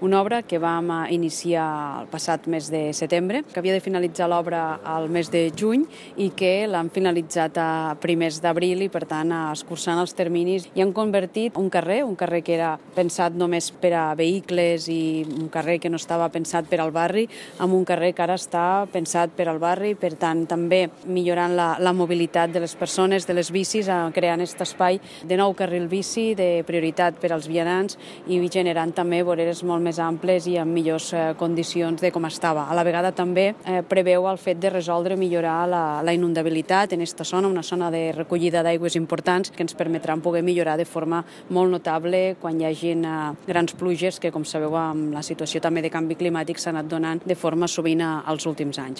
Una obra que vam iniciar el passat mes de setembre, que havia de finalitzar l'obra al mes de juny i que l'han finalitzat a primers d'abril i, per tant, escurçant els terminis i han convertit un carrer que era pensat només per a vehicles i un carrer que no estava pensat per al barri, en un carrer que ara està pensat per al barri, per tant, també millorant la mobilitat de les persones, de les bicis, creant aquest espai de nou carril bici, de prioritat per als vianants i generant també voreres molt més amples i amb millors condicions de com estava. A la vegada també preveu el fet de resoldre, millorar la inundabilitat en aquesta zona, una zona de recollida d'aigües importants que ens permetran poder millorar de forma molt notable quan hi hagin grans pluges que, com sabeu, amb la situació també de canvi climàtic s'ha anat donant de forma sovint als últims anys.